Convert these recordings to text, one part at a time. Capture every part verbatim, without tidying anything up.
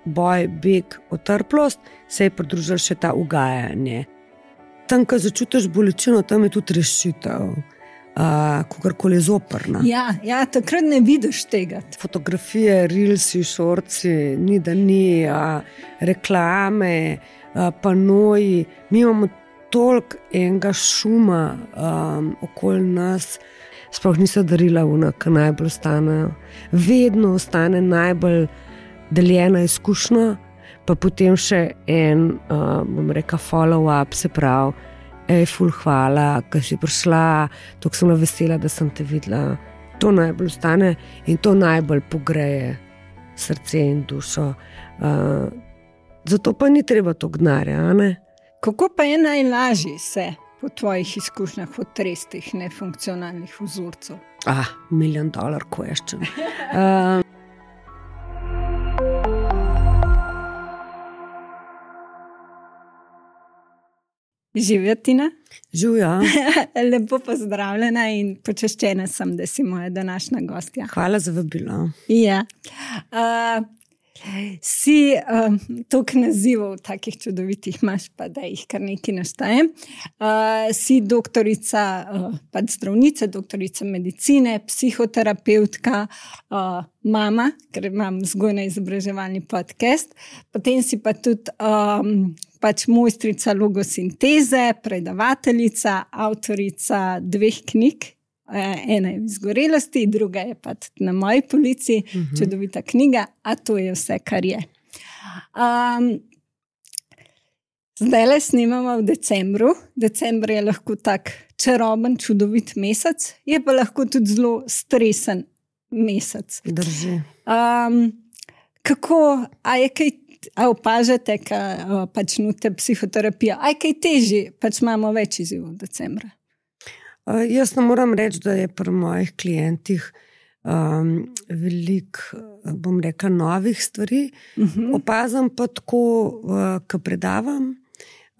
boj, beg, otrplost, se je pridružilo še ta ugajanje. Tam, ko začutiš bolečino, tam je tudi rešitev, uh, kakorkoli zoprna. Ja, ja, takrat ne vidiš tega. Fotografije, reelsi, šorci, ni da ni, uh, reklame, uh, panoji. Mi imamo toliko enega šuma um, okoli nas, sploh niso darila vna, ki najbolj ostanejo. Vedno ostane najbolj deljena izkušnja, pa potem še en, uh, bom rekla, follow-up, se pravi, ej, ful, hvala, ko si prišla, toliko sem vesela, da sem te videla. To najbolj ostane in to najbolj pogreje srce in dušo. Uh, zato pa ni treba to gnarja, a ne? Kako pa je najlažje se po tvojih izkušnjah otresti teh nefunkcionalnih vzorcev? Ah, million dollar question. Uh, Živijo, Tina? Živijo. Lepo pozdravljena in počaščena sem, da si moja današnja gostja. Hvala za vabilo. Ja. Uh, si um, toliko nazivov, takih čudovitih imaš, pa da jih kar nekaj naštejem. Uh, si doktorica, uh, pač zdravnica, doktorica medicine, psihoterapeutka, uh, mama, ker imam vzgojno-izobraževalni podcast, potem si pa tudi um, pač mojstrica logosinteze, predavateljica, avtorica dveh knjig. Ena je v izgorelosti, druga je pa na moji polici, uh-huh. Čudovita knjiga, a to je vse, kar je. Um, zdaj le snimamo v decembru. Decembr je lahko tak čaroben, čudovit mesec, je pa lahko tudi zelo stresen mesec. Drži. Um, kako, a je kaj, a opažate, ka pač nute psihoterapija, a je kaj težji, pač imamo več izzivov v decembra? Uh, jaz ne moram reči, da je pri mojih klientih um, veliko, bom rekla, novih stvari. Uh-huh. Opazam pa tako, uh, ko predavam,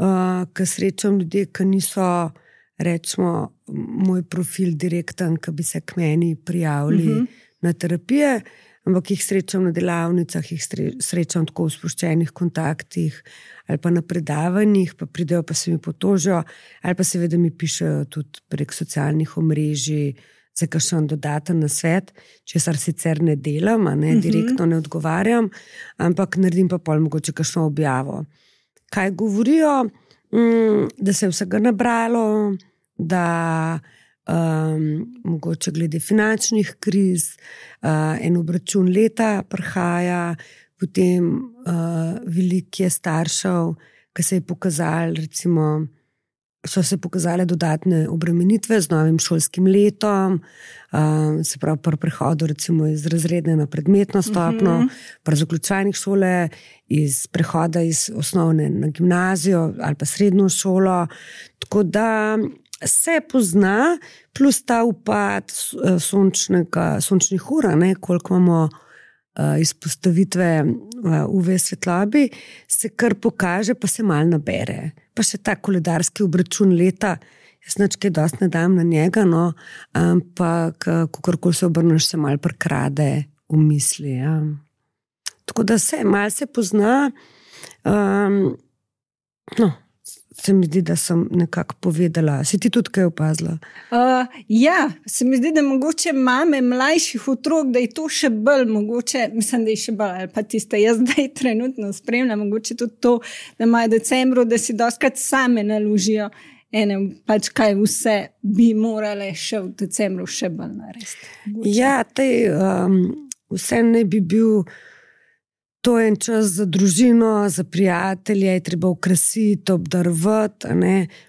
uh, ko srečam ljudi, ki niso, rečemo, moj profil direkten, ki bi se k meni prijavili uh-huh. na terapije, ampak jih srečam na delavnicah, jih srečam tako v sproščenih kontaktih ali pa na predavanjih, pa pridejo, pa se mi potožijo, ali pa seveda mi pišejo tudi prek socialnih omrežij za kakšen dodaten nasvet, česar sicer ne delam, a ne, direktno ne odgovarjam, ampak naredim pa pol mogoče kakšno objavo. Kaj govorijo? Mm, da se je vsega nabralo, da Um, mogoče glede finančnih kriz, uh, en obračun leta prihaja, potem uh, veliko je staršev, ki se je pokazali, recimo, so se pokazale dodatne obremenitve z novim šolskim letom, uh, se pravi pri prehodu recimo iz razredne na predmetno stopno, uh-huh. pri zaključevanjih šole, iz prehoda iz osnovne na gimnazijo ali pa srednjo šolo, tako da se pozna, plus ta upad sončnega, sončnih ur, ne, koliko imamo uh, izpostavitve uh, U V svetlobi, se kar pokaže, pa se malo nabere. Pa še ta koledarski obračun leta, jaz nič kaj dosti ne dam na njega, no, ampak kakorkoli se obrneš, se malo prekrade v misli. Ja. Tako da se, malo se pozna, um, no, se mi zdi, da sem nekako povedala. Si ti tudi kaj opazila? Uh, ja, se mi zdi, da mogoče mame mlajših otrok, da je to še bolj mogoče, mislim, da je še bolj, ali pa tiste, jaz zdaj trenutno spremljam, mogoče tudi to, da imajo decembru, da si doskrat same naložijo ene, pač kaj vse bi morale še v decembru še bolj narediti. Ja, tej, um, vse ne bi bil to en čas za družino, za prijatelje, je treba okrasiti, obdarovati,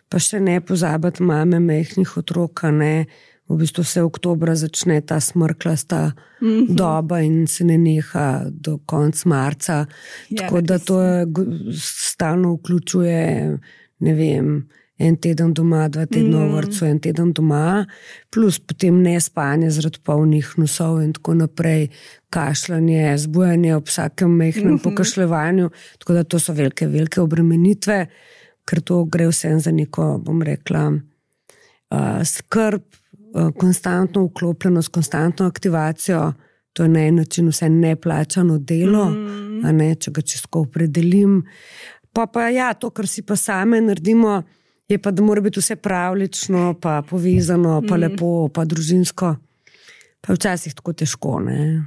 pa še ne pozabiti mame mehnih otrok, ne. V bistvu se oktobra začne ta smrklasta mm-hmm. doba in se ne neha do konca marca. Ja, tako da to je, stalno vključuje, ne vem, en teden doma, dva tedna v vrtcu, en teden doma, plus potem nespanje zaradi polnih nosov in tako naprej, kašljanje, zbujanje ob vsakem mehnem uh-huh. pokašljevanju, tako da to so velike, velike obremenitve, ker to gre vsem za neko, bom rekla, uh, skrb, uh, konstantno vklopljenost, konstantno aktivacijo, to je na en način vse neplačano delo, uh-huh. a ne, če ga čisto opredelim. Pa pa ja, to, kar si pa same naredimo, je pa, da mora biti vse pravlično, pa povezano, pa uh-huh. lepo, pa družinsko. Pa včasih tako težko, ne.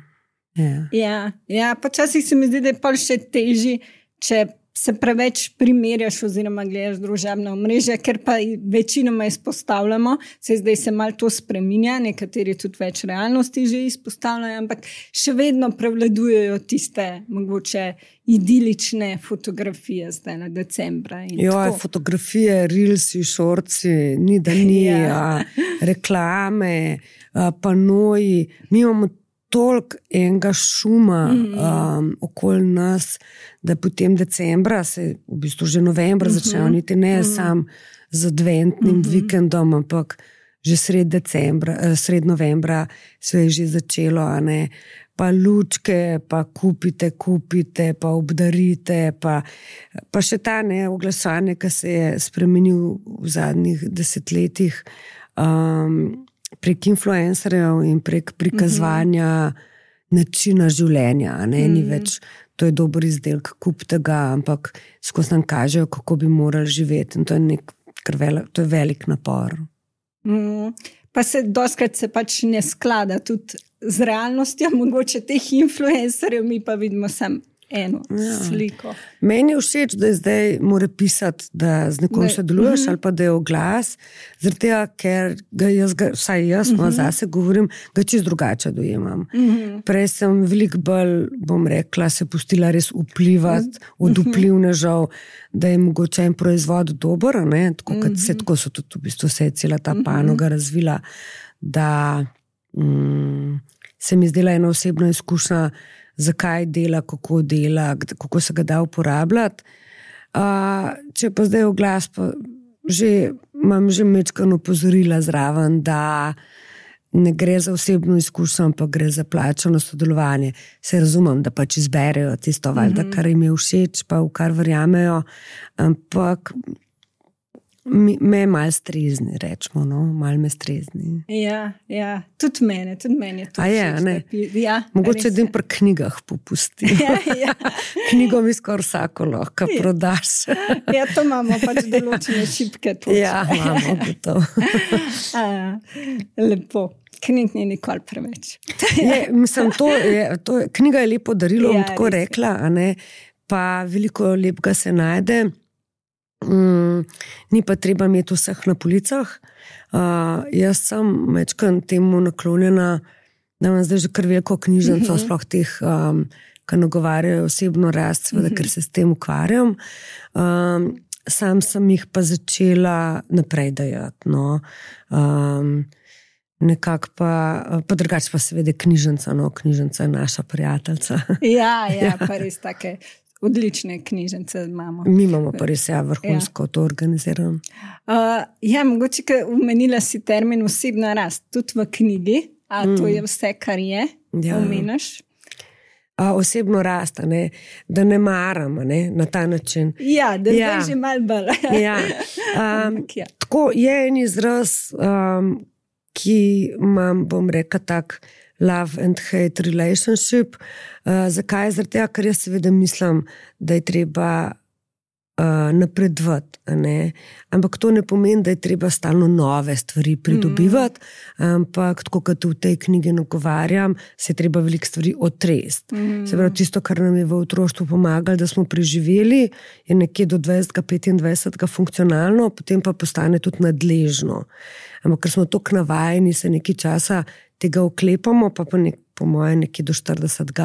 Yeah. Ja, ja, počasih se mi zdi, da je pa še težji, če se preveč primerjaš oziroma gledaš družabna omrežja, ker pa večinoma izpostavljamo, se zdaj se malo to spreminja, nekateri tudi več realnosti že izpostavljajo, ampak še vedno prevladujejo tiste mogoče idilične fotografije zdaj na decembra. Jo, fotografije, reelsi, šorci, ni da ni, ja. reklame, panoji, mi imamo toliko enega šuma mm-hmm. um, okoli nas, da potem decembra, se v bistvu že novembra mm-hmm. začnejo, niti ne mm-hmm. sam z adventnim mm-hmm. vikendom, ampak že sred decembra, sred novembra se je že začelo, a ne, pa lučke, pa kupite, kupite, pa obdarite, pa, pa še ta ne oglašanje, ki se je spremenil v zadnjih desetletjih, um, prek influencerjev in prek prikazovanja mm-hmm. načina življenja. Ne? Mm-hmm. Ni več, to je dober izdelek, kup tega, ampak skozi nam kažejo, kako bi morali živeti. In to je, nek, velik, to je velik napor. Mm. Pa se doskrat se pač ne sklada tudi z realnostjo, mogoče teh influencerjev, mi pa vidimo sam eno ja. sliko. Meni je všeč, da je zdaj mora pisati, da z nekom sodeluješ, uh-huh. ali pa da je oglas, zaradi tega, ker ga jaz, ga, vsaj jaz, uh-huh. no, zase govorim, ga čist drugače dojemam. Uh-huh. Prej sem veliko bolj, bom rekla, se pustila res vplivati uh-huh. od vplivnežev, da je mogoče en proizvod dober, ne? Tako, uh-huh. se, tako so tudi v bistvu se je cela ta panoga uh-huh. razvila, da mm, se mi zdela ena osebna izkušnja, zakaj dela, kako dela, kako se ga da uporabljati. Uh, če pa zdaj oglas, pa že, imam že mečkano opozorila zraven, da ne gre za osebno izkušnjo, ampak gre za plačano sodelovanje. Se razumem, da pač izberejo tisto, valjda, mm-hmm. kar jim je všeč, pa v kar verjamejo, ampak Mi, me malo strezni, rečemo, no, malo me strezni. Ja, ja, tudi mene, tudi mene. A je, ne? Ja, mogoče da jim pri knjigah popusti. Ja, ja. Knjigo mi skoraj vsako lahko ja. prodaš. Ja, to imamo pač določene šipke. Točne. Ja, imamo gotovo. Lepo. Knjig ni nikoli preveč. Je, mislim, to je, to je, knjiga je lepo darilo, ja, tako rekla, a ne, pa veliko lepega se najde. Mm, ni pa treba imeti vseh na policah. Uh, jaz sem mečkan temu naklonjena, da imam zdaj že kar veliko knjižnico, mm-hmm. sploh teh, um, ki nagovarjajo osebno rast, seveda, mm-hmm. ker se s tem ukvarjam. Um, sam sem jih pa začela naprej dajati. No. Um, nekako pa, pa drugače pa seveda knjižnica, no, knjižnica je naša prijateljica. Ja, ja, pa res take odlične knjižnice imamo. Mi imamo pa res ja, vrhunsko ja. to organizirano. Uh, ja, mogoče, ker omenila si termin osebna rast, tudi v knjigi, a mm. to je vse, kar je, ja. omeniš? A, osebno rast, ne? Da ne maram, ne? Na ta način. Ja, da ja. zdaj že malo bolj. Ja. Um, ja. Tako je en izraz, um, ki imam, bom rekla tak, love and hate relationship. Uh, zakaj? Zaradi tega, ker jaz seveda mislim, da je treba uh, napredovati. Ampak to ne pomeni, da je treba stalno nove stvari pridobivati, mm. ampak tako kot v tej knjigi nagovarjam, se je treba veliko stvari otresti. Mm. Se pravi, tisto, kar nam je v otroštvu pomagalo, da smo preživeli, je nekje do dvajset petindvajset funkcionalno, potem pa postane tudi nadležno. Ampak ker smo toliko navajeni, se nekaj časa tega oklepamo, pa pa nek, po moje nekje do štiridesetega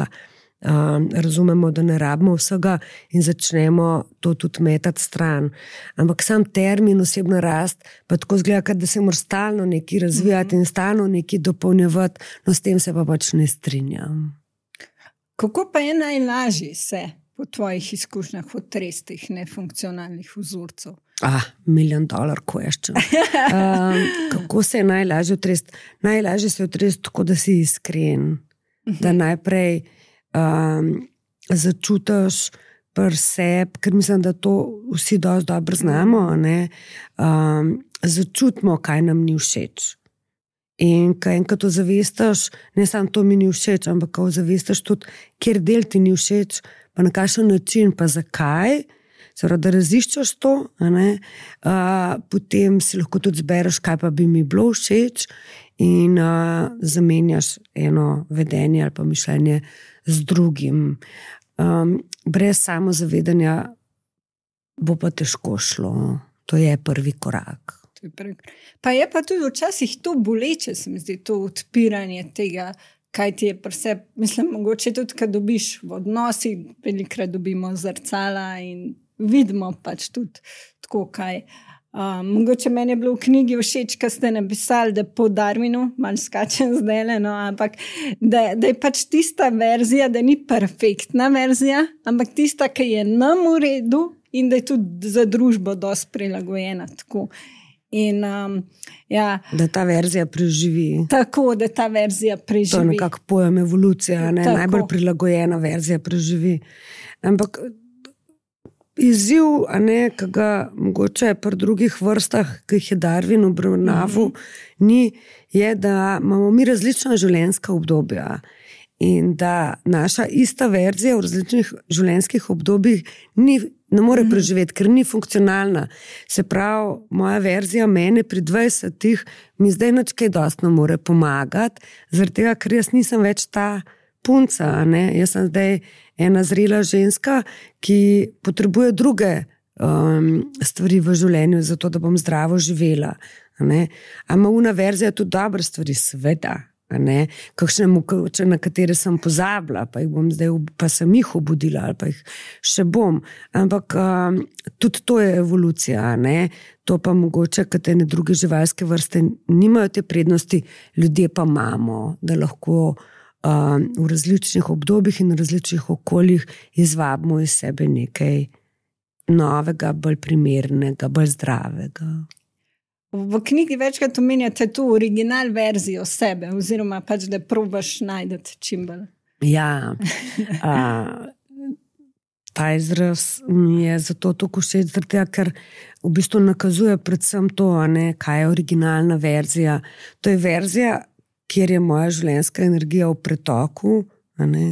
um, razumemo, da ne rabimo vsega in začnemo to tudi metati stran. Ampak sam termin osebna rast pa tako zgleda, da se mora stalno nekaj razvijati mm-hmm. in stalno nekaj dopolnjevati, no s tem se pa pač ne strinjam. Kako pa je najlažje se po tvojih izkušnjah otresti teh nefunkcionalnih vzorcev? Ah, million dollar question. Um, kako se je najlažje otresti? Najlažje se je otresti tako, da si iskren. Da najprej um, začutiš pri sebi, ker mislim, da to vsi dosti dobro znamo, ne? Um, začutimo, kaj nam ni všeč. In ko enkrat ozavestiš, ne samo to mi ni všeč, ampak ko ozavestiš tudi, kjer del ti ni všeč, pa na kakšen način, pa zakaj, Zdaj, da raziščaš to, a ne, uh, potem si lahko tudi zbereš, kaj pa bi mi bilo všeč in uh, zamenjaš eno vedenje ali pa mišljenje z drugim. Um, brez samozavedanja bo pa težko šlo. To je prvi korak. To je prvi. Pa je pa tudi včasih to boleče, se mi zdi, to odpiranje tega, kaj ti je preseb. Mislim, mogoče tudi, kad dobiš v odnosih, velikrat dobimo zrcala in vidimo pač tudi tako kaj. Uh, mogoče meni je bilo v knjigi všeč, kad ste napisali, da po Darwinu, malo skačem zdaj, no, ampak da, da je pač tista verzija, da ni perfektna verzija, ampak tista, ki je nam v redu in da je tudi za družbo dosti prilagojena. Tako. In, um, ja, da ta verzija preživi. Tako, da ta verzija preživi. To je nekako pojem evolucija, ne? Najbolj prilagojena verzija preživi. Ampak izziv, a ne, ki ga mogoče pri drugih vrstah, ki jih je Darwin obravnaval, mm-hmm. ni, je, da imamo mi različna življenjska obdobja in da naša ista verzija v različnih življenjskih obdobjih ni, ne more mm-hmm. preživeti, ker ni funkcionalna. Se pravi, moja verzija mene pri dvajsetih mi zdaj nič kaj dosti ne more pomagati, zaradi tega, ker jaz nisem več ta punca, a ne, jaz sem zdaj ena zrela ženska, ki potrebuje druge um, stvari v življenju, zato da bom zdravo živela. Ama una verzija tudi dobre stvari, sveda, kakšne, na katere sem pozabila, pa, jih bom zdaj, pa sem jih obudila, ali pa jih še bom. Ampak um, tudi to je evolucija. Ne? To pa mogoče, kad ene druge živalske vrste nimajo te prednosti, ljudje pa imamo, da lahko v različnih obdobjih in v različnih okoljih izvabimo iz sebe nekaj novega, bolj primernega, bolj zdravega. V knjigi večkrat omenjate tu original verzijo sebe, oziroma pač, da probaš najdeti čim bolj. Ja, a, ta izraz mi je zato tako všeč, ker v bistvu nakazuje predvsem to, a ne, kaj je originalna verzija. To je verzija, kjer je moja življenjska energija v pretoku, ne,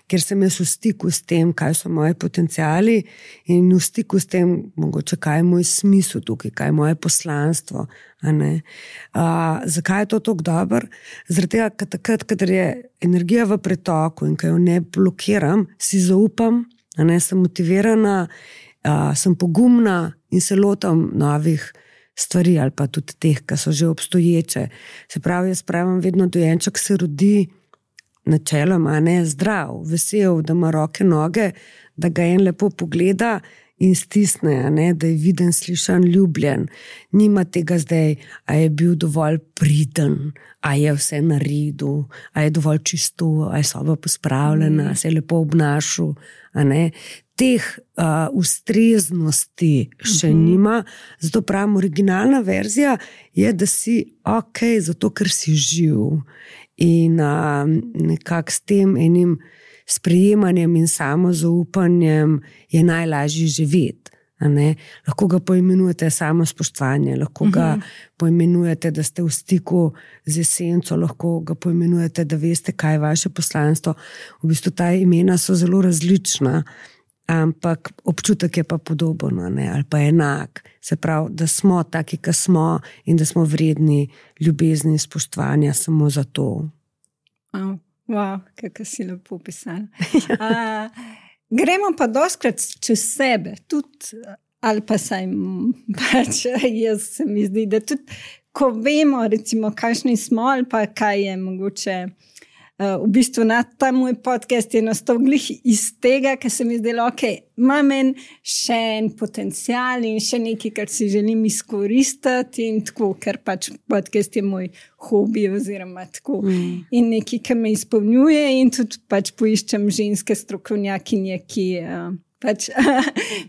kjer sem jaz v stiku s tem, kaj so moji potenciali in v stiku s tem, mogoče, kaj je moj smisel tukaj, kaj je moje poslanstvo. Ne. A, zakaj je to tako dobro? Zaradi tega, ker takrat, kadar je energija v pretoku in ko jo ne blokiram, si zaupam, ne, sem motivirana, a, sem pogumna in se lotam novih stvari ali pa tudi teh, ki so že obstoječe. Se pravi, jaz pravim, vedno dojenček se rodi načeloma, ne, zdrav, vesel, da ima roke, noge, da ga en lepo pogleda in stisne, ne, da je viden, slišan, ljubljen. Nima tega zdaj, a je bil dovolj priden, a je vse naredil, a je dovolj čisto, a je soba pospravljena, a se je lepo obnašal, a ne. Teh uh, ustreznosti še uh-huh. nima, zato pravim, originalna verzija je, da si ok, zato ker si živ in uh, nekako s tem enim sprejemanjem in samozaupanjem je najlažje živeti. Lahko ga poimenujete samospoštovanje, lahko uh-huh. ga poimenujete, da ste v stiku z esenco, lahko ga poimenujete, da veste, kaj je vaše poslanstvo. V bistvu ta imena so zelo različna, ampak občutek je pa podoben, ne, ali pa enak. Se pravi, da smo taki, ki smo in da smo vredni ljubezni in spoštovanja samo za to. Oh, wow, kako si lepo pisala. uh, gremo pa doskrat čez sebe, tudi, ali pa saj pač jaz se mi zdi, da tudi, ko vemo, recimo, kakšni smo, ali pa kaj je mogoče. Uh, v bistvu na ta moj podcast je nastal glih iz tega, ker se mi zdelo, ok, imam en še en potencial in še nekaj, kar si želim izkoristiti in tako, ker pač podcast je moj hobi oziroma tako. Mm. In nekaj, kar me izpolnjuje in tudi pač poiščem ženske strokovnjakinje, ki uh, pač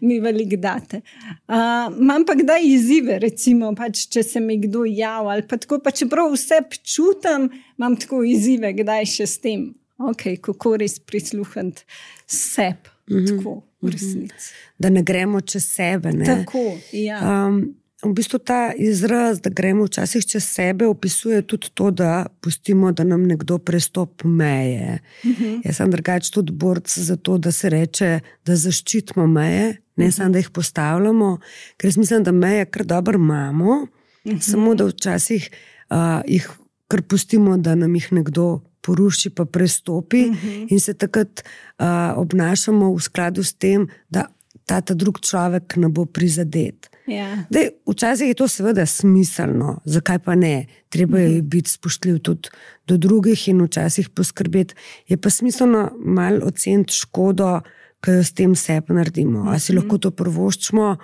mi veliko date. Uh, imam pa kdaj izzive, recimo, pač, če se mi kdo jav ali pa tako, pa čeprav vse čutam, imam tako izzive, kdaj še s tem. Ok, kako res prisluhniti sebi, mm-hmm. tako v resnici. Da ne gremo čez sebe. Ne? Tako, ja. Um, v bistvu ta izraz, da gremo včasih čez sebe, opisuje tudi to, da pustimo, da nam nekdo prestopi meje. Uh-huh. Jaz sem drugače tudi borc za to, da se reče, da zaščitimo meje, ne uh-huh. samo, da jih postavljamo, ker mislim, da meje kar dobro imamo, uh-huh. samo da včasih uh, jih kar pustimo, da nam jih nekdo poruši pa prestopi uh-huh. in se takrat uh, obnašamo v skladu s tem, da ta, ta drug človek ne bo prizadet. Yeah. Dej, včasih je to seveda smiselno, zakaj pa ne? Treba je uh-huh. biti spoštljiv tudi do drugih in včasih poskrbeti. Je pa smiselno malo oceniti škodo, ki jo s tem sebi naredimo. Uh-huh. A si lahko to privoščimo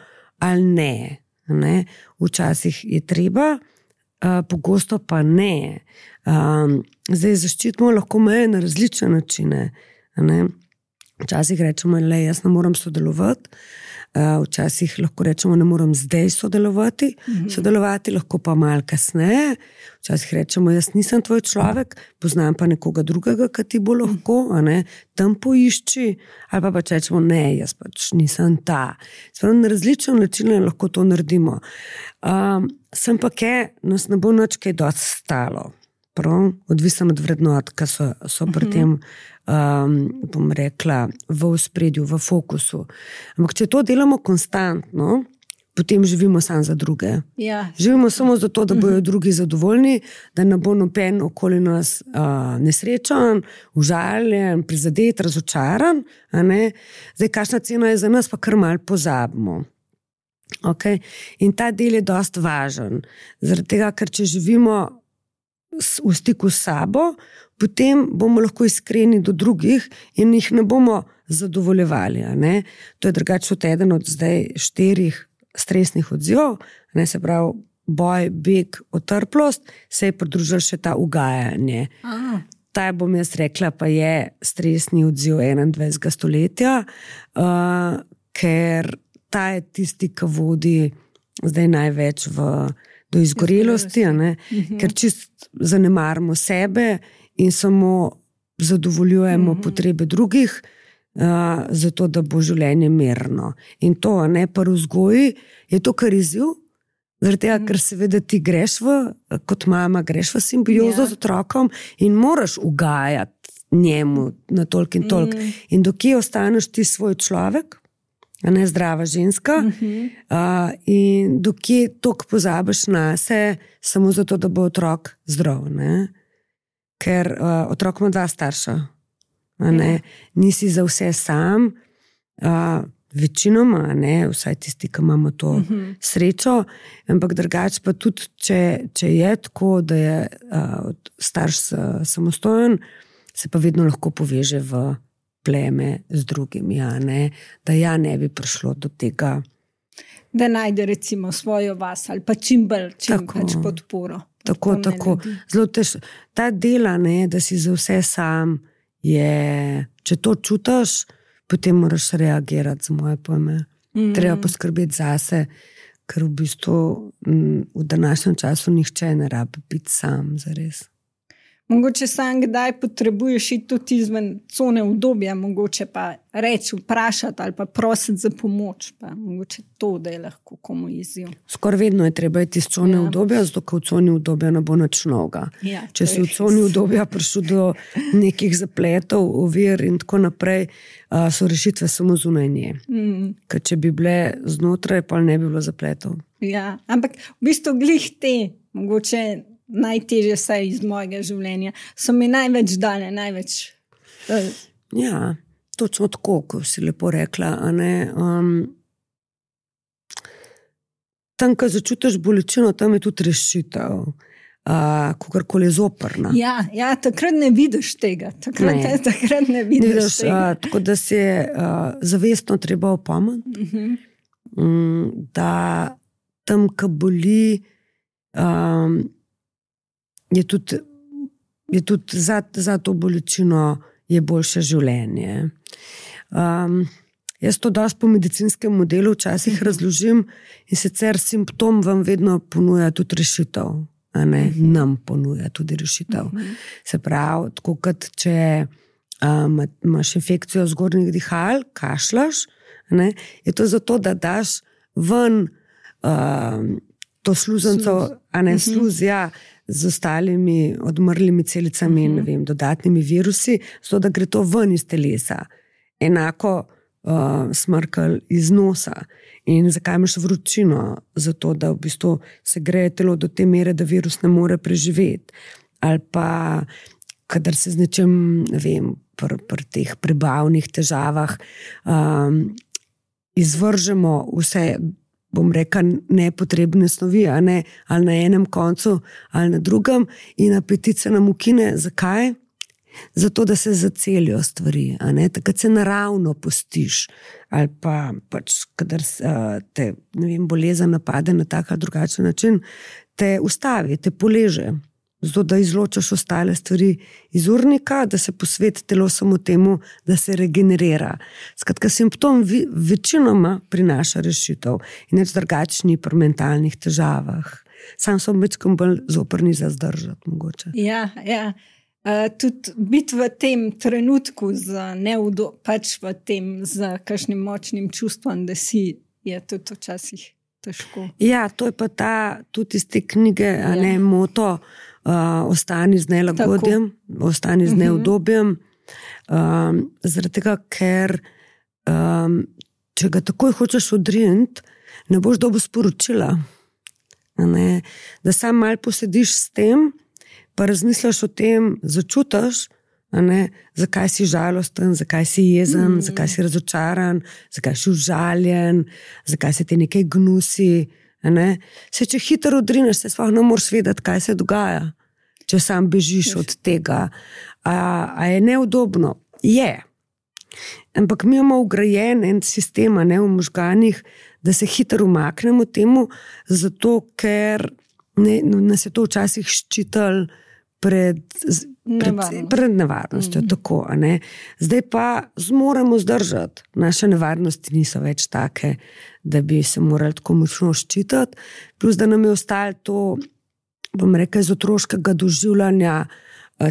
ali ne? ne? Včasih je treba, uh, pogosto pa ne. Um, zdaj zaščitimo lahko meje na različne načine. Ne? Včasih rečemo, le jaz ne moram sodelovati, uh, včasih lahko rečemo, ne moram zdaj sodelovati, mm-hmm. sodelovati lahko pa malo kasneje, včasih rečemo, jaz nisem tvoj človek, poznam pa nekoga drugega, ki ti bo lahko, a ne, tam poišči, ali pa pač rečemo, ne, jaz pač nisem ta. Spravo, na različne načine lahko to naredimo. Um, sem pa kaj, nas ne bo nič kaj dosti stalo. Prav, odvisno od vrednot, ki so, so pri tem, um, bom rekla, v ospredju, v fokusu. Ampak, če to delamo konstantno, potem živimo samo za druge. Ja. Živimo samo zato, da bojo drugi zadovoljni, da ne bo noben okoli nas uh, nesrečen, užaljen, prizadet, razočaran. A ne? Zdaj, kakšna cena je za nas, pa kar malo pozabimo. Okay? In ta del je dosti važen. Zaradi tega, ker če živimo v stiku s sabo, potem bomo lahko iskreni do drugih in jih ne bomo zadovoljevali. Ne? To je drugače od eden od zdaj štirih stresnih odzivov, ne? Se pravi boj, beg, otrplost, se je pridružil še ta ugajanje. Aha. Ta, bom jaz rekla, pa je stresni odziv enaindvajsetega stoletja, uh, ker ta je tisti, ki vodi zdaj največ v do izgorelosti, uh-huh. ker čist zanemarimo sebe in samo zadovoljujemo uh-huh. potrebe drugih, uh, zato da bo življenje mirno. In to, ne, pa v vzgoji je to kar izziv, zaradi tega, uh-huh. ker seveda ti greš v, kot mama, greš v simbiozo yeah. z otrokom in moraš ugajati njemu na toliko in toliko. Uh-huh. In dokje ostaneš ti svoj človek, a ne zdrava ženska, uh-huh. uh, in dokje toliko pozabiš na se, samo zato, da bo otrok zdrav. Ne? Ker uh, otrok ima dva starša. A ne? Uh-huh. Nisi za vse sam, uh, večinoma, ne? Vsaj tisti, ki imamo to uh-huh. srečo, ampak drugače pa tudi, če, če je tako, da je uh, starš uh, samostojen, se pa vedno lahko poveže v pleme z drugimi, ja, ne? Da ja ne bi prišlo do tega. Da najde recimo svojo vas ali pa čim bolj, čim tako, pač podporo. Tako, tako. Zelo tež, ta dela, ne, da si za vse sam je, če to čutiš, potem moraš reagirati z moje pojme. Mm. Treba poskrbeti zase, ker v bistvu v današnjem času nihče ne rabi biti sam, zares. Mogoče sam kdaj potrebuješ iti tudi izven cone udobja, mogoče pa reči, vprašati ali pa prositi za pomoč, pa mogoče to, da je lahko komu izziv. Skoraj vedno je treba iti iz cone ja. udobja, zato ker v coni udobja ne bo nič novega. Ja, če si v coni udobja prišel do nekih zapletov, ovir in tako naprej, so rešitve samo zunaj nje. Mm. Ker če bi bile znotraj, pa ne bi bilo zapletov. Ja, ampak v bistvu glih te, mogoče najtežje vse iz mojega življenja, so mi največ dane, največ... Uh... Ja, točno tako, ko si lepo rekla, a ne... Um, tam, ko začutiš bolečino, tam je tudi rešitev, uh, kakorkoli je zoprna. Ja, ja, takrat ne vidiš tega, takrat ne, takrat ne vidiš, ne vidiš tega. Uh, tako da se uh, zavestno treba opomniti, uh-huh. um, da tam, ko boli, um, je tudi, je tudi za, za to bolečino je boljše življenje. Um, jaz to dosti po medicinskem modelu včasih uh-huh. razložim in sicer simptom vam vedno ponuja tudi rešitev, a ne, uh-huh. nam ponuja tudi rešitev. Uh-huh. Se pravi, tako kot če um, imaš infekcijo zgornjih dihal, kašlaš, ne, je to zato, da daš ven uh, to sluznico, a ne sluz, ja, z ostalimi odmrlimi celicami in uh-huh. dodatnimi virusi, zato da gre to ven iz telesa. Enako uh, smrkelj iz nosa. In zakaj imaš vročino? Zato, da v bistvu se greje telo do te mere, da virus ne more preživeti. Ali pa, kadar se z nečem, ne vem, pri pr teh prebavnih težavah um, izvržemo vse, bom rekel, nepotrebne snovi, a ne, ali na enem koncu, ali na drugem, in apetit se nam ukine. Zakaj? Zato, da se zacelijo stvari, a ne, takrat se naravno pustiš, ali pa pač, kadar te, ne vem, bolezen napade na tak ali drugačen način, te ustavi, te poleže, zato, da izločaš ostale stvari iz urnika, da se posveti telo samo temu, da se regenerira. Skratka, simptom večinoma prinaša rešitev in neč drugačni pri mentalnih težavah. Sam sem večkrat bolj zoprni za zdržati, mogoče. Ja, ja. Uh, tudi biti v tem trenutku z neudo, pač v tem z kakšnim močnim čustvom, da si, je tudi včasih težko. Ja, to je pa ta, tudi iz te knjige, ja. A ne, moto, uh, ostani z nelagodjem, Tako. ostani z uh-huh. neudobjem, um, zaradi tega, ker um, če ga takoj hočeš odriniti, ne boš dobil sporočila. A ne, da sam malo posediš s tem, pa razmisliš o tem, začutiš, a ne, zakaj si žalosten, zakaj si jezen, mm. zakaj si razočaran, zakaj si užaljen, zakaj se ti nekaj gnusi. A ne. Se, če hitro odrineš, se sploh ne moreš vedeti, kaj se dogaja, če sam bežiš Ješ. od tega. A, a je neudobno? Je. Ampak mi imamo ugrajen en sistem, a ne, v možganih, da se hitro umaknemo temu, zato ker ne, nas je to včasih ščital pred, pred, pred nevarnostjo. Mm. Tako, a ne. Zdaj pa zmoremo zdržati. Naše nevarnosti niso več take, da bi se morali tako močno ščitati. Plus, da nam je ostalo to, bom rekel, iz otroškega doživljanja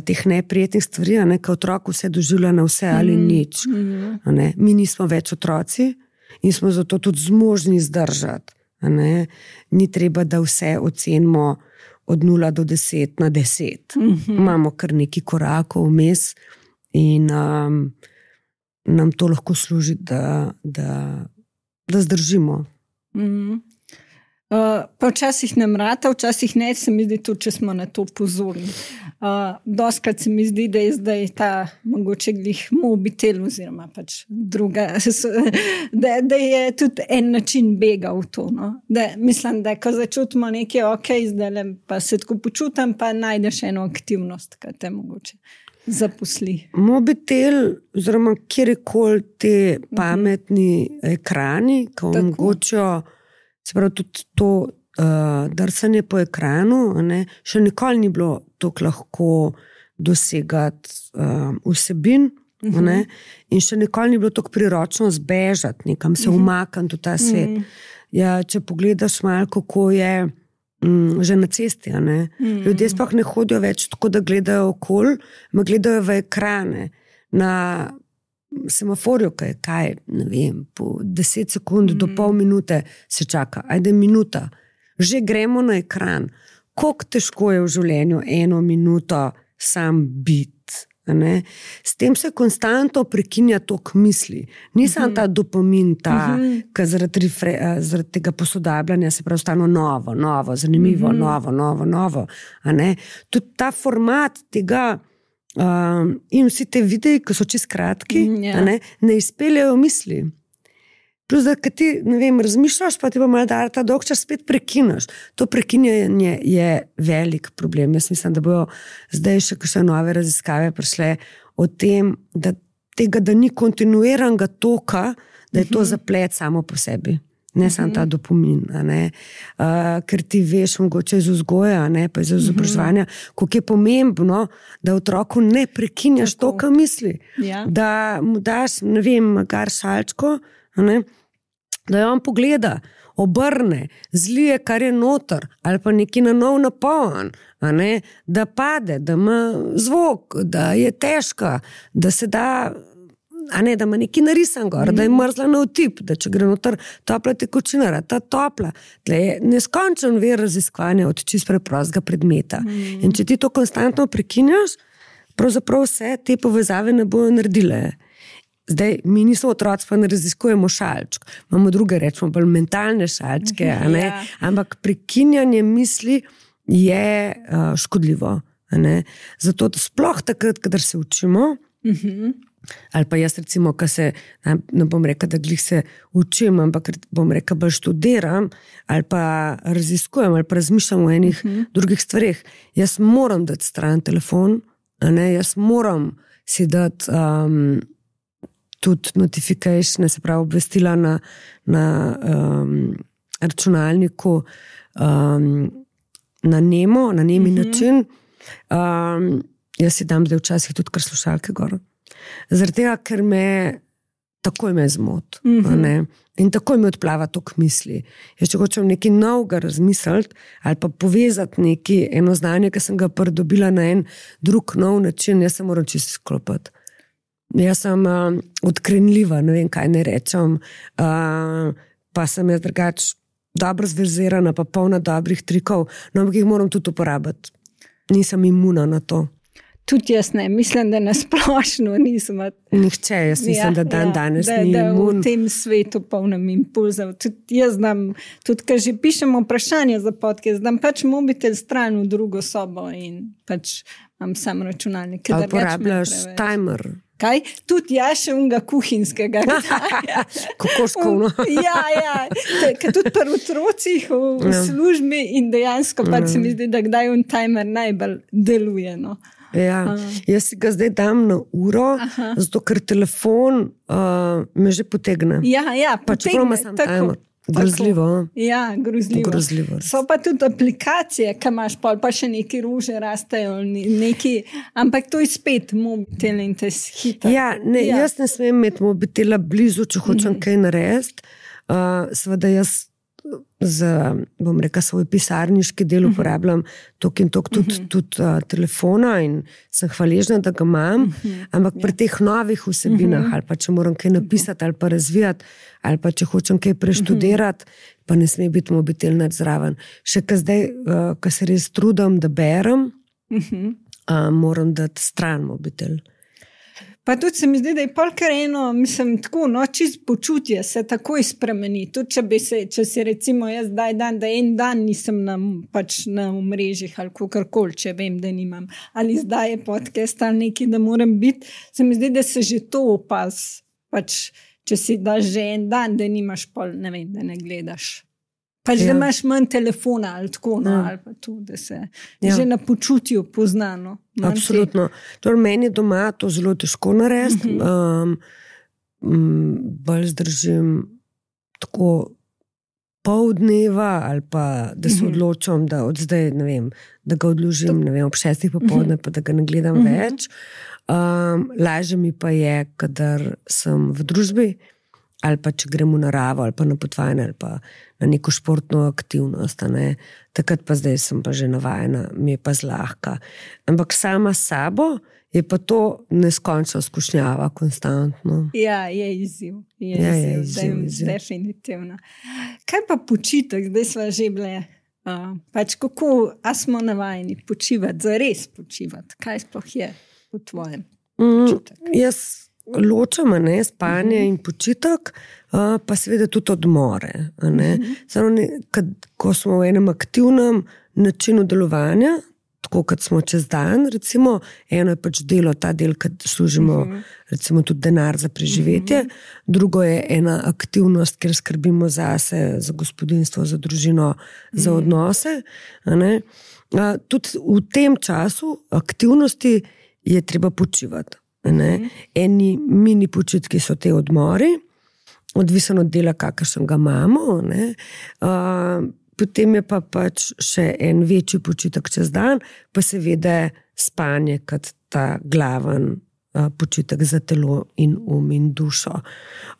teh neprijetnih stvari, a ne, ka otrok vse doživlja na vse ali mm. nič. Mm. A ne. Mi nismo več otroci in smo zato tudi zmožni zdržati. A ne. Ni treba, da vse ocenimo od nula do deset na deset. Mm-hmm. Imamo kar nekaj korakov vmes in um, nam to lahko služi, da, da, da zdržimo. Mm-hmm. Uh, pa včasih nam rata, včasih ne, se mi zdi tudi, če smo na to pozorni. Uh, doskrat se mi zdi, da je zdaj ta mogoče glih mobitel oziroma pač druga, da, da je tudi en način bega v to. No? Da, mislim, da ko začutimo nekaj, ok, zdaj pa se tako počutam, pa najdeš eno aktivnost, kaj te mogoče zaposli. Mobitel oziroma kjerkoli te pametni uh-huh. ekrani, ko omogočajo, se pravi, tudi to uh, drsanje po ekranu, ne, še nikoli ni bilo tako lahko dosegati uh, vsebin, uh-huh. ne, in še nikoli ni bilo tako priročno zbežati, nekam se uh-huh. umakniti v ta svet. Uh-huh. Ja, če pogledaš malo, kako je um, že na cesti, a ne, uh-huh. ljudje sploh ne hodijo več tako, da gledajo okoli, ma gledajo v ekrane, na semaforju, kaj, kaj, ne vem, po deset sekund mm. do pol minute se čaka, ajde minuta, že gremo na ekran. Koliko težko je v življenju eno minuto sam biti, ne? S tem se konstantno prekinja tok misli. Nisem mm-hmm. ta dopamin, ta, mm-hmm. ki zaradi, zaradi tega posodabljanja se prav stano novo, novo, zanimivo, mm-hmm. novo, novo, novo, a ne? Tudi ta format tega Um, in vsi te videi, ki so čisto kratki, mm, yeah. ne, ne izpeljajo misli. Plus, da ti, ne vem, razmišljaš, pa ti pa malo da ta dolg čas spet prekinaš. To prekinjanje je velik problem. Jaz mislim, da bojo zdaj še kakšne nove raziskave prišle o tem, da tega, da ni kontinuiranega toka, da je to zaplet samo po sebi. Ne samo ta dopamin, a ne. Uh, ker ti veš, mogoče iz vzgoja, ne, pa iz izobraževanja, koliko je pomembno, da otroku ne prekinjaš toka misli. Ja. Da mu daš, ne vem, gar šalčko, a ne, da jo on pogleda, obrne, zlije, kar je noter, ali pa neki na nov napoln, a ne, da pade, da ima zvok, da je težka, da se da a ne, da ima neki narisan gor, mm. da je mrzla na vtip, da če gre noter topla tekočina, ta topla. Tle je neskončen vir raziskovanja od čist preprostega predmeta. Mm. In če ti to konstantno prekinjaš, pravzaprav vse te povezave ne bojo naredile. Zdaj, mi nismo otroci, pa ne raziskujemo šalčk. Imamo druge, rečemo, bolj mentalne šalčke, a ne? Ja. Ampak prekinjanje misli je uh, škodljivo. A ne? Zato sploh takrat, kadar se učimo, uh-huh. ali pa jaz recimo, ko se, ne bom rekel, da glih se učim, ampak bom rekel, bolj študiram, ali pa raziskujem, ali pa razmišljam o enih uh-huh. drugih stvareh. Jaz moram dati stran telefon, a ne? Jaz moram si dati um, tudi notification, se pravi obvestila na, na um, računalniku, um, na nemo, na nemi uh-huh. način. Um, jaz si dam zdaj včasih tudi kar slušalke gor. Zaradi tega, ker me takoj me zmot. Mm-hmm. In takoj me odplava tok misli. Jaz če hočem nekaj novega razmisliti ali pa povezati neki eno znanje, ki sem ga pridobila na en drug nov način, jaz se moram čisto sklopiti. Jaz sem uh, odkrenljiva, ne vem, kaj ne rečem, uh, pa sem jaz drugač dobro zverzirana, pa polna dobrih trikov, no, ampak jih moram tudi uporabiti. Nisem imuna na to. Tudi jaz ne, mislim, da nasplošno nisem. Nihče, jaz mislim, ja, da dan ja, danes da, ni da imun. Da v tem svetu polnem impulzov. Tudi jaz znam, tudi ko že pišemo vprašanje za podcast, znam pač mobitel stran v drugo sobo in pač imam sam računalnik. Ali porabljaš timer? Kaj? Tudi ja, še unga kuhinskega. Kokoškovno. Ja, ja. Ker tudi pri otrocih v, v ja. službi in dejansko pač ja. se mi zdi, da kdaj un timer najbolj deluje. No. Ja, jaz si ga zdaj dam na uro, Aha. zato ker telefon uh, me že potegne. Ja, ja, pač potegne. Tako. Grozljivo. Ja, grozljivo. grozljivo. So pa tudi aplikacije, ki imaš pol, pa še neki ruže rastejo, neki, ampak to je spet mobitel in te hita. Ja, ne, ja, jaz ne smem imeti mobitela blizu, če hočem mm. kaj narediti. Uh, seveda jaz za, bom rekel, svoj pisarniški del uporabljam tok in tok tudi, uh-huh. tudi uh, telefona in sem hvaležna, da ga imam, uh-huh. ampak pri teh novih vsebinah, uh-huh. ali pa če moram kaj napisati ali pa razvijati, ali pa če hočem kaj preštudirati, uh-huh. pa ne sme biti mobitel nad zraven. Še ka zdaj, uh, ko se res trudim, da berem, uh-huh. uh, moram dati stran mobitel. Pa tudi se mi zdi, da je polkar eno, mislim, tako, no, čist počutje se takoj spremeni. Tudi če bi se, če si recimo jaz daj dan, da en dan nisem na, pač na mrežih ali kakorkoli, če vem, da nimam. Ali zdaj je podcast ali neki, da moram biti, se mi zdi, da se že to opaz. Pač, če si daš že en dan, da nimaš pol, ne vem, da ne gledaš. Pač, ja. da imaš manj telefona ali tako, no, ja. ali pa to, da se ja. že na počutju poznano. Absolutno. Torej, meni doma to zelo težko narediti. Uh-huh. Um, bolj zdržim tako pol dneva ali pa, da se uh-huh. odločam, da od zdaj, ne vem, da ga odložim, ne vem, ob šestih popoldne, uh-huh. pa da ga ne gledam uh-huh. več. Um, lažje mi pa je, kadar sem v družbi, ali pa če gremo v naravo, ali pa na potovanje, ali pa na neko športno aktivnost. Ne? Takrat pa zdaj sem pa že navajena, mi je pa zlahka. Ampak sama sabo je pa to neskončno skušnjava, konstantno. Ja, je izziv. Je ja, izziv, je izziv, izziv. Definitivno. Kaj pa počitek? Zdaj sva že bile. Uh, pač kako, a smo navajeni počivati, zares počivati? Kaj sploh je v tvojem počitek? Mm, jaz ločam, ne, spanje uh-huh. in počitek, uh, pa seveda tudi odmore. Ne. Uh-huh. Samo, ne, kad, ko smo v enem aktivnem načinu delovanja, tako kot smo čez dan, recimo, eno je pač delo, ta del, kad služimo uh-huh. recimo tudi denar za preživetje, uh-huh. drugo je ena aktivnost, kjer skrbimo zase, za gospodinstvo, za družino, uh-huh. za odnose. Ne. Uh, tudi v tem času aktivnosti je treba počivati. Ne? Eni mini počitki so te odmori, odvisno od dela, kakršen ga imamo. Ne? Uh, potem je pa pač še en večji počitek čez dan, pa seveda spanje kot ta glaven uh, počitek za telo in um in dušo.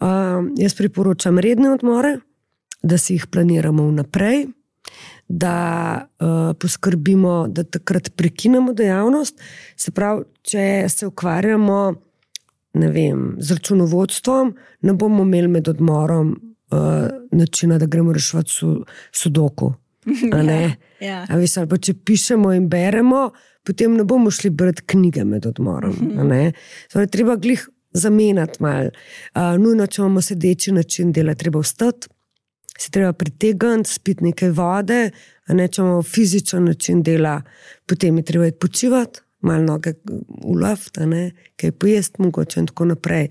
Uh, jaz priporočam redne odmore, da si jih planiramo vnaprej, da uh, poskrbimo, da takrat prekinemo dejavnost. Se pravi, če se ukvarjamo ne vem, z računovodstvom, ne bomo imeli med odmorom uh, načina, da gremo reševati su, sudoku. A ne? Ja, ja. A veš, ali pa če pišemo in beremo, potem ne bomo šli brati knjige med odmorom. A ne? Zdaj, treba glih zamenjati malo. Uh, nujno, če imamo sedeči način dela, treba vstati, se treba pritegniti, spiti nekaj vode, a ne, če imamo fizičen način dela, potem je treba počivati, malo noge v luft, kaj pojesti mogoče in tako naprej.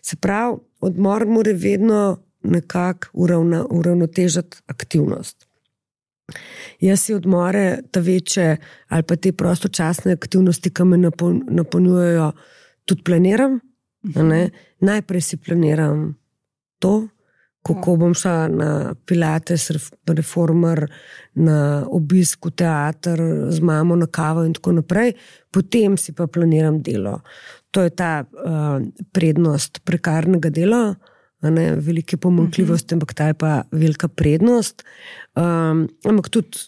Se pravi, odmor mora vedno nekako uravna, uravnotežiti aktivnost. Jaz si odmore, ta večje ali pa te prostočasne aktivnosti, ki me napolnjujejo, tudi planiram. Ne? Najprej si planiram to, kako bom šla na pilates, reformer, na obisk v teater z mamo na kavo in tako naprej, potem si pa planiram delo. To je ta uh, prednost prekarnega dela, ne, velike pomanjkljivosti, uh-huh. ampak ta je pa velika prednost. Um, ampak tudi,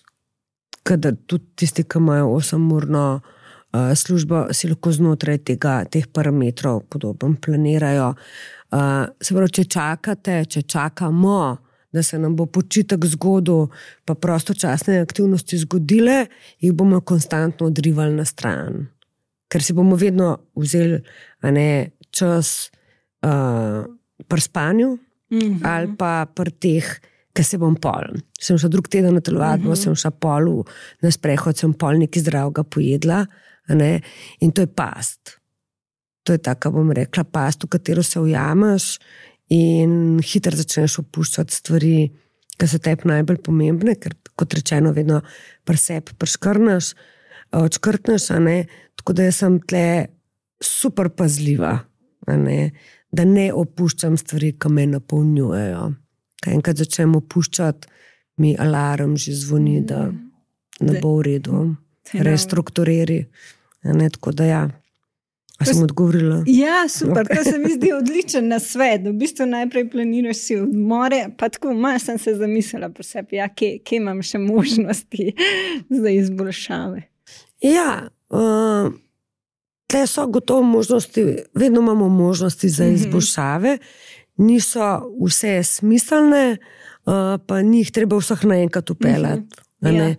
kadar tudi tisti, ki imajo osemurno uh, službo, si lahko znotraj tega, teh parametrov podobno planirajo. Uh, se pravi, če čakate, če čakamo, da se nam bo počitek zgodil, pa prostočasne aktivnosti zgodile, jih bomo konstantno odrivali na stran. Ker si bomo vedno vzeli a ne, čas uh, pri spanju mm-hmm. ali pa pri teh, ker se bom pol. Sem šla drug teden na telovadbo, mm-hmm. sem šla pol na sprehod, sem pol nekaj zdravega pojedla, a ne, in to je past. To je tako, bom rekla, past, v katero se ujameš in hitro začneš opuščati stvari, ki so tebi najbolj pomembne, ker, kot rečeno, vedno pri sebi preškrneš, odškrtneš, a ne, tako da jaz sem tle super pazljiva, a ne, da ne opuščam stvari, ki me napolnjujejo. Kaj enkrat začnem opuščati, mi alarm že zvoni, da ne bo v redu. Restrukturiri, a ne, tako da ja. A sem odgovorila? Ja, super, okay. To se mi zdi odličen nasvet. V bistvu najprej planiraš si odmore, pa tako malo sem se zamislila po sebi, ja, kje, kje imam še možnosti za izboljšave. Ja, uh, tle so gotovo možnosti, vedno imamo možnosti za izboljšave, niso vse smiselne, uh, pa njih treba vseh naenkrat upeljati. Uh-huh. Ja.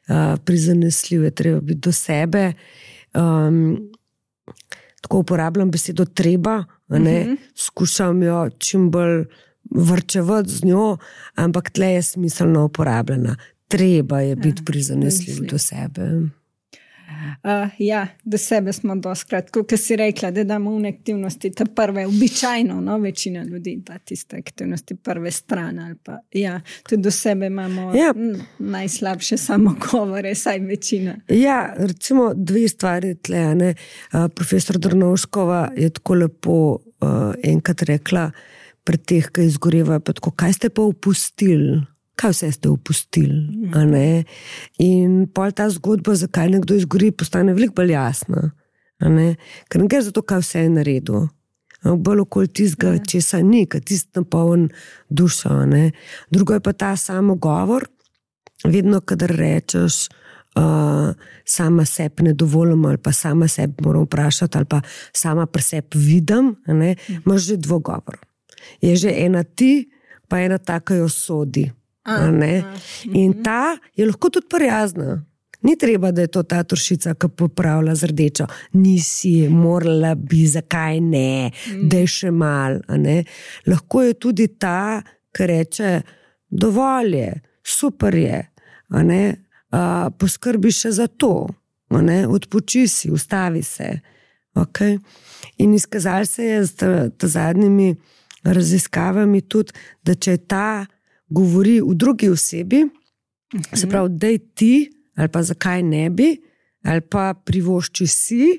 Uh, prizanesljiv je treba biti do sebe. Um, Tako uporabljam besedo treba, a ne, uh-huh. skušam jo čim bolj vrčevati z njo, ampak tle je smiselno uporabljena. Treba je biti prizanesljiv do sebe. Uh, ja, do sebe smo doskrat, kot si rekla, da damo v aktivnosti te prve, običajno, no, večina ljudi da tiste aktivnosti prve strane, ali pa, ja, tudi do sebe imamo ja. m, najslabše samogovore, saj večina. Ja, recimo dve stvari tle, ne. Uh, profesor Drnovškova je tako lepo uh, enkrat rekla pred teh, ki izgorevajo, pa tako, kaj ste pa opustili? Kaj vse ste opustili, a ne? In pol ta zgodba, zakaj nekdo izgori, postane veliko bolj jasna, a ne? Ker ne gre za to, kaj vse je naredil. Bolj okoli tistega, česa ni, kaj tist napoln dušo, a ne? Drugo je pa ta samogovor, vedno, kadar rečeš, uh, sama sebi ne dovolim, ali pa sama sebi moram vprašati, ali pa sama pri sebi vidim, a ne? Imaš že dvogovor. Je že ena ti, pa ena taka jo sodi. A, a, in ta je lahko tudi prijazna. Ni treba, da je to ta turšica, ki popravlja z rdečo. Nisi, morala bi, zakaj ne, mm. da je še mal. A ne? Lahko je tudi ta, ki reče, dovolj je, super je, a ne? A, poskrbi še za to, a ne? Odpoči si, ustavi se. Okay? In izkazali se je z ta, ta zadnjimi raziskavami tudi, da če je ta govori v drugi osebi, uh-huh. se pravi, daj ti, ali pa zakaj ne bi, ali pa privošči si,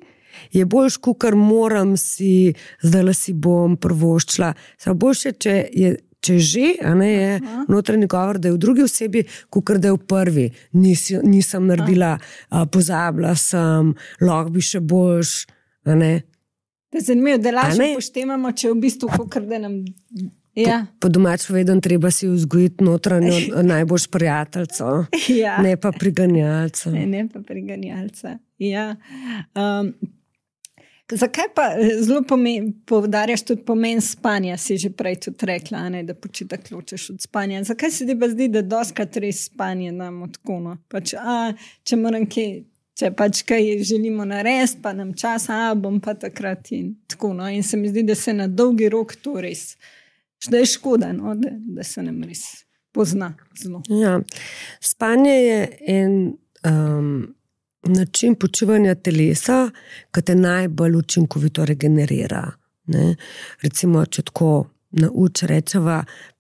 je boljš, kakor moram si, zdaj si bom privoščila. Samo boljše, če je, če že, a ne je uh-huh. notranji govor, da je v drugi osebi, kakor da je v prvi. Nis, nisem naredila, uh-huh. pozabila sem, lahko bi še boljš, a ne. Da je zanimivo, da lažje poštemamo, če v bistvu kakor da nam... Ja. Po, po domač povedem, treba si vzgojiti notranjo najboljš prijateljco, ja. ne pa priganjalca. Ne, ne pa priganjalca, ja. Um, Zakaj pa zelo poudarjaš tudi pomen spanja, si že prej tudi rekla, ne, da počitek ločeš od spanja. Zakaj se ti pa zdi, da doskrat res spanje nam odkono? Pač, a, če moram kaj, če pač kaj želimo narediti, pa nam čas, a bom pa takrat in tako. No? In se mi zdi, da se na dolgi rok to res, da je škoda, no? da, da se nam res pozna zelo. Ja, spanje je en... Um... način počivanja telesa, ki te najbolj učinkovito regenerira. Ne? Recimo, če tako nauč rečeva,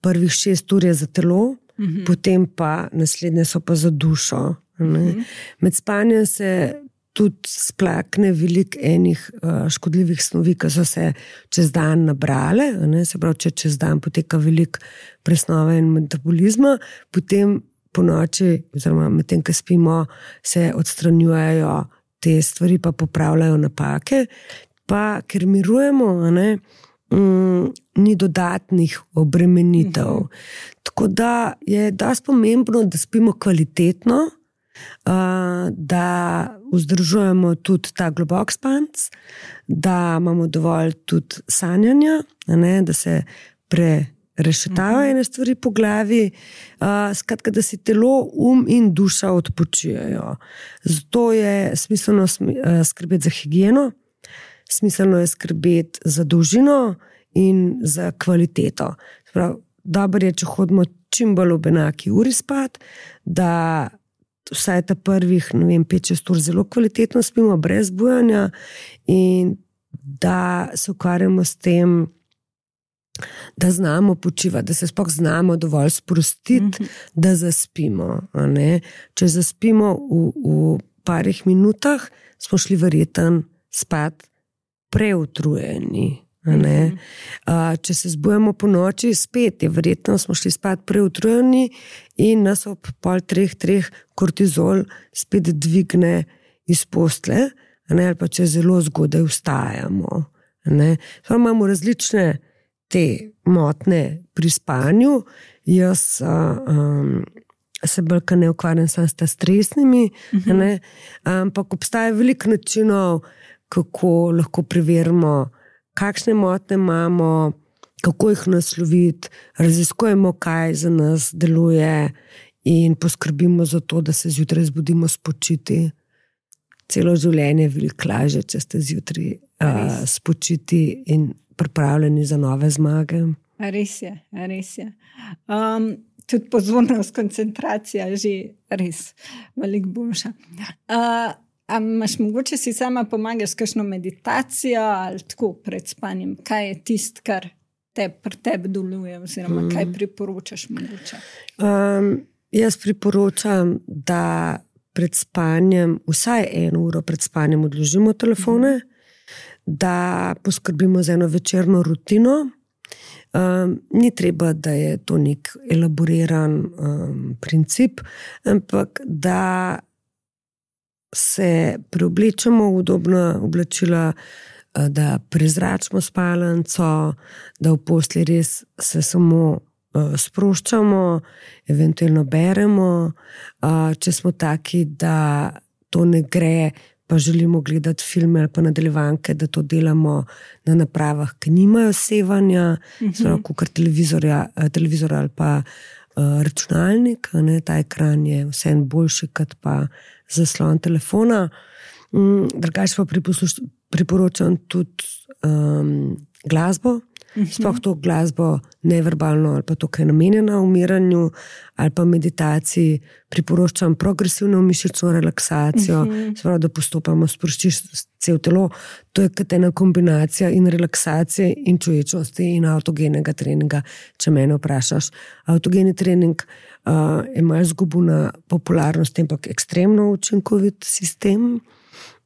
prvih šest ur je za telo, mm-hmm. potem pa naslednje so pa za dušo. Mm-hmm. Med spanjem se tudi splakne veliko enih uh, škodljivih snovi, ki so se čez dan nabrale. Ne? Se pravi, če čez dan poteka veliko presnove in metabolizma, potem po noči, oziroma med tem, ko spimo, se odstranjujejo te stvari, pa popravljajo napake, pa ker mirujemo, ne, mm, ni dodatnih obremenitev. Uh-huh. Tako da je dosti pomembno, da spimo kvalitetno, uh, da vzdržujemo tudi ta globok spanc, da imamo dovolj tudi sanjanja, ne, da se pre rešetavajo ene stvari po glavi, uh, skratka, da si telo, um in duša odpočijajo. Zato je smiselno skrbeti za higieno, smiselno je skrbeti za dolžino in za kvaliteto. Prav, dobro je, če hodimo čim bolj ob enaki uri spat, da vsaj ta prvih, ne vem, pet šest ur zelo kvalitetno spimo, brez bujanja in da se ukvarjamo s tem, da znamo počivati, da se sploh znamo dovolj sprostiti, mm-hmm. da zaspimo. Ne? Če zaspimo v, v parih minutah, smo šli verjetno spat preutrujeni. Mm-hmm. Če se zbujamo po noči, spet je verjetno smo šli spat preutrujeni in nas ob pol treh, treh kortizol spet dvigne iz postle, ne? Ali pa če zelo zgodaj vstajamo. Ne? Imamo različne te motne pri spanju. Jaz uh, um, se bolj ne ukvarjam sam s ta stresnimi, uh-huh. ne? Ampak obstaja veliko načinov, kako lahko preverimo, kakšne motne imamo, kako jih nasloviti, raziskujemo, kaj za nas deluje in poskrbimo za to, da se zjutraj zbudimo spočiti. Celo življenje je veliko lažje, če ste zjutraj uh, spočiti in pripravljeni za nove zmage. Res je, res je. Um, tudi pozornost, koncentracija je že res veliko boljša. Uh, a imaš mogoče si sama pomagaš s kakšno meditacijo ali tako pred spanjem? Kaj je tist, kar te pri tebi deluje oziroma mm. kaj priporočaš mogoče? Um, jaz priporočam, da pred spanjem, vsaj eno uro pred spanjem odložimo telefone, mm. da poskrbimo za eno večerno rutino. Um, ni treba, da je to nek elaboriran um, princip, ampak da se preoblečemo v udobna oblačila, da prezračimo spalnico, da v postelji res se samo uh, sproščamo, eventualno beremo. Uh, če smo taki, da to ne gre, pa želimo gledati filme ali pa nadaljevanke, da to delamo na napravah, ki nimajo sevanja, uh-huh. kot televizor, televizor ali pa uh, računalnik. Ne, ta ekran je vseeno boljši, kot pa zaslon telefona. Um, drugače pa priporočam tudi um, glasbo, uh-huh. sploh to glasbo neverbalno ali pa to, ki je namenjena umiranju ali pa meditaciji. Priporočam progresivno mišično relaksacijo, uh-huh. sprav, da postopamo sproščiš cel telo. To je kot ena kombinacija in relaksacije in čuječnosti in avtogenega treninga, če mene vprašaš. Avtogeni trening uh, je malo zgubil na popularnosti, ampak ekstremno učinkovit sistem.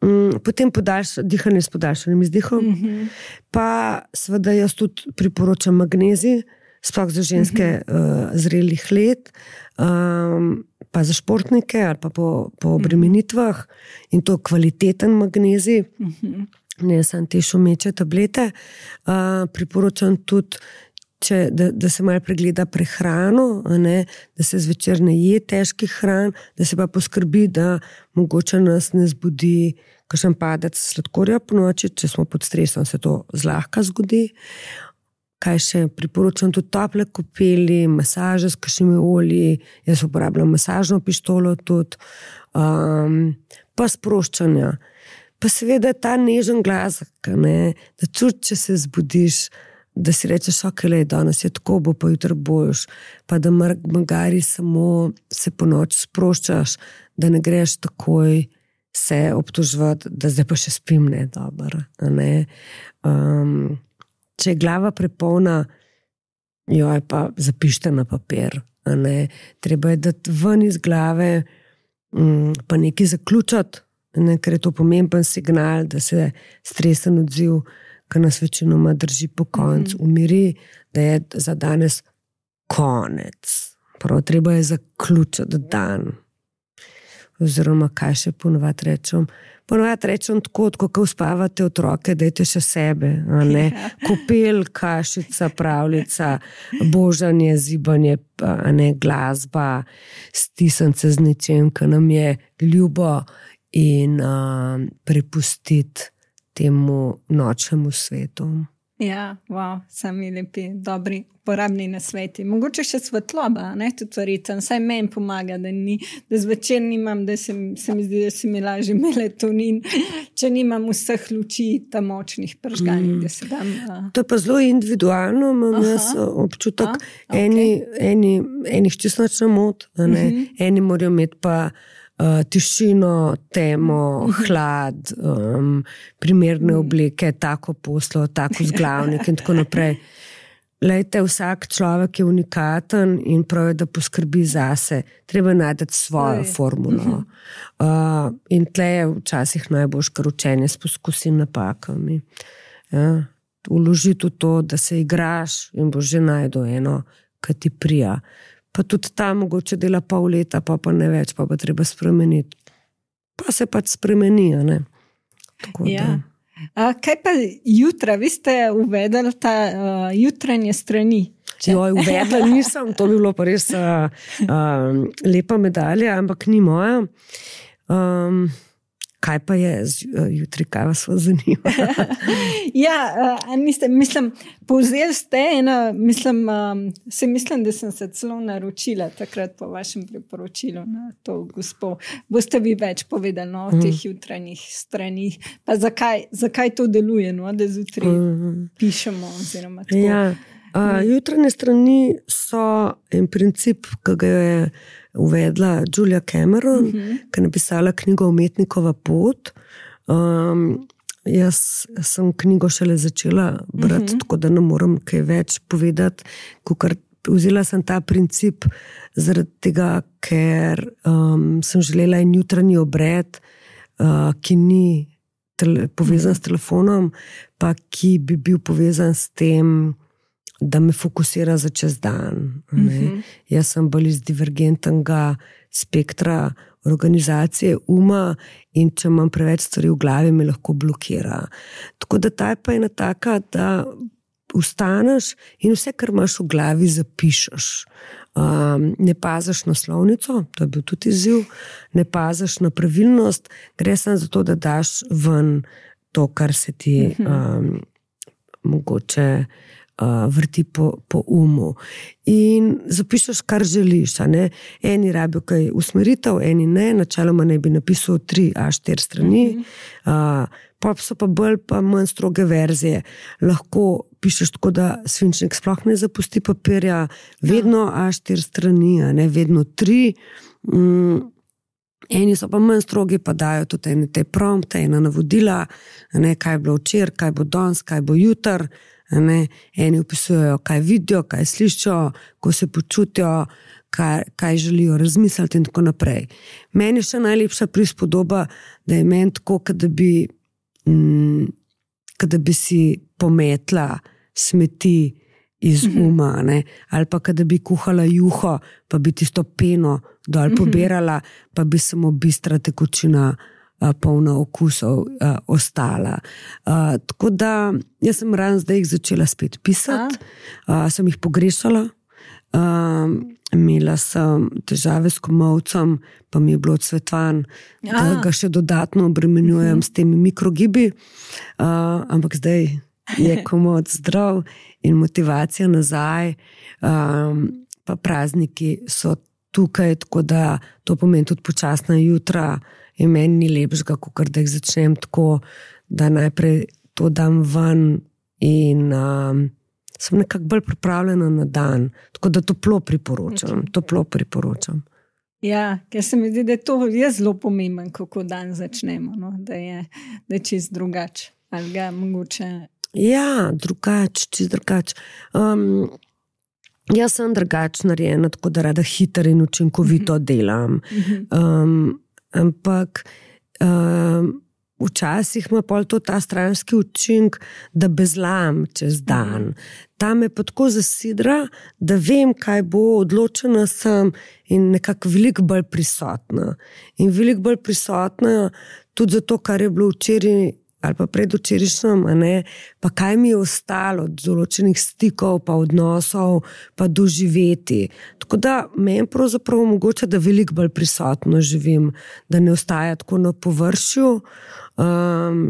Um, potem podaljš, dihanje s podaljšanim izdihom. Uh-huh. Pa seveda jaz tudi priporočam magnezij, sploh za ženske uh-huh. uh, zrelih let, um, pa za športnike ali pa po, po obremenitvah in to kvaliteten magnezij, uh-huh. ne samo te šumeče tablete. Uh, priporočam tudi, če, da, da se malo pregleda prehrano, ne, da se zvečer ne je težkih hran, da se pa poskrbi, da mogoče nas ne zbudi kakšen padec sladkorja po noči, če smo pod stresom, se to zlahka zgodi. Kaj še priporočam, tudi tople kopeli, masaže s kakšnimi olji, jaz uporabljam masažno pištolo tudi, um, pa sproščanja. Pa seveda ta nežen glas, ne, da čuti, če se zbudiš, da si rečeš, ok, lej, danes je tako, bo pa jutro boš, pa da magari samo se po noč sproščaš, da ne greš takoj se obtoževati, da zdaj pa še spim ne, dobro, ne. Um, če je glava prepolna, jo je pa zapište na papir, ne. Treba je dati ven iz glave, um, pa nekaj zaključati, ne, ker je to pomemben signal, da se stresen odziv, ki nas večinoma drži po koncu, umiri, da je za danes konec. Prav, treba je zaključiti dan. Oziroma, kaj še ponovati rečem? Ponovati rečem tako, ko uspavate otroke, dajte še sebe, a ne? Kopel, kašica, pravljica, božanje, zibanje, a ne, glasba, stisance z nečem, ki nam je ljubo in uh, prepustiti temu nočnemu svetu. Ja, wow, sami lepi, dobri, uporabni nasveti. Mogoče še svetloba, ne, tudi verjetno, saj meni pomaga, da, ni, da zvečer nimam, da se, se mi zdi, da se mi laži melatonin, če nimam vseh luči tam močnih pržganih, mm. da se dam. Uh... To je pa zelo individualno, imam Aha. jaz občutek, A, okay. eni, eni, enih čisto nič ne moti, ne, mm-hmm. eni morajo imeti pa Uh, tišino, temo, hlad, um, primerne obleke, tako poslo, tako zglavnik in tako naprej. Lejte, vsak človek je unikaten in prav je, da poskrbi zase. Treba najti svojo Oj. formulo. Uh, in tle je včasih najboljš, kar učenje s poskusi napakami. Ja, vloži v to, da se igraš in boš že najdel eno, ki ti prija. Pa tudi tam mogoče dela pol leta, pa pa ne več, pa pa treba spremeniti. Pa se pač spremeni, ne? Tako ja. A, kaj pa jutra? Vi ste uvedli ta uh, jutranje strani. Joj, uvedla nisem, to bi bilo pa res uh, uh, lepa medalja, ampak ni moja. Um, kaj pa je jutri, kaj vas zanima? ja, uh, niste, mislim, povzeli ste ena, mislim, um, se mislim, da sem se celo naročila takrat po vašem priporočilu na to gospo. Boste vi več povedali no, o mm. teh jutranjih stranih, pa zakaj, zakaj to deluje, no, da zjutraj mm. pišemo oziroma tako. Ja, uh, jutranje strani so en princip, ki ga je uvedla Julia Cameron, uh-huh. ki je napisala knjigo Umetnikova pot. Um, jaz sem knjigo šele začela brati, uh-huh. tako da ne moram kaj več povedati, kukor vzela sem ta princip zaradi tega, ker um, sem želela en jutranji obred, uh, ki ni tele, povezan uh-huh. s telefonom, pa ki bi bil povezan s tem, da me fokusira za čez dan. Mm-hmm. Jaz sem bolj iz divergentnega spektra organizacije uma in če imam preveč stvari v glavi, me lahko blokira. Tako da ta je pa ena taka, da vstaneš in vse, kar imaš v glavi, zapišeš. Um, ne paziš na slovnico, to je bil tudi izziv, ne paziš na pravilnost, gre samo za to, da daš ven to, kar se ti mm-hmm. um, mogoče Uh, vrti po, po umu. In zapišeš, kar želiš. A ne? Eni rabijo kaj usmeritev, eni ne, načeloma ne bi napisal tri a štiri strani, mm-hmm. uh, pa so pa bolj pa manj stroge verzije. Lahko pišeš tako, da svinčnik sploh ne zapusti papirja, vedno a štiri strani, a ne vedno tri. Mm. Eni so pa manj strogi, pa dajo tudi ene te prompte, ena navodila, ne, kaj je bilo včeraj, kaj bo danes, kaj bo jutr. Ne, eni opisujejo, kaj vidijo, kaj slišijo, ko se počutijo, kaj, kaj želijo razmisliti in tako naprej. Meni je še najlepša prispodoba, da je meni tako, kada bi, mm, kada bi si pometla smeti iz uma, ne, ali pa kada bi kuhala juho, pa bi tisto peno dol pobirala, pa bi samo bistra tekočina polna okusov uh, ostala. Uh, tako da, jaz sem ravno zdaj jih začela spet pisati, uh, sem jih pogrešala, uh, imela imela sem težave s komolcem, pa mi je bilo odsvetvan, da ga še dodatno obremenjujem s temi mikrogibi, uh, ampak zdaj je komolc zdrav in motivacija nazaj, um, pa prazniki so tukaj, tako da to pomeni tudi počasna jutra in meni ni lepšega, kakor da jih začnem tako, da najprej to dam ven in um, sem nekako bolj pripravljena na dan, tako da toplo priporočam, toplo priporočam. Ja, ker se mi zdi, da je to je zelo pomemben, kako dan začnemo, no? da, je, da je čist drugač, ali ga mogoče... Ja, drugač, čist drugač. Um, jaz sem drugač narejena, tako da rada hitro in učinkovito delam, um, ampak um, včasih ima pol to ta stranski učink, da bezlam čez dan. Ta me pa tako zasidra, da vem, kaj bo, odločena sem in nekako veliko bolj prisotna. In veliko bolj prisotna tudi zato, kar je bilo včeraj ali pa predvčerajšnjem, a ne, pa kaj mi je ostalo od določenih stikov, pa odnosov, pa doživeti. Tako da meni pravzaprav omogoča, da veliko bolj prisotno živim, da ne ostaja tako na površju. Um,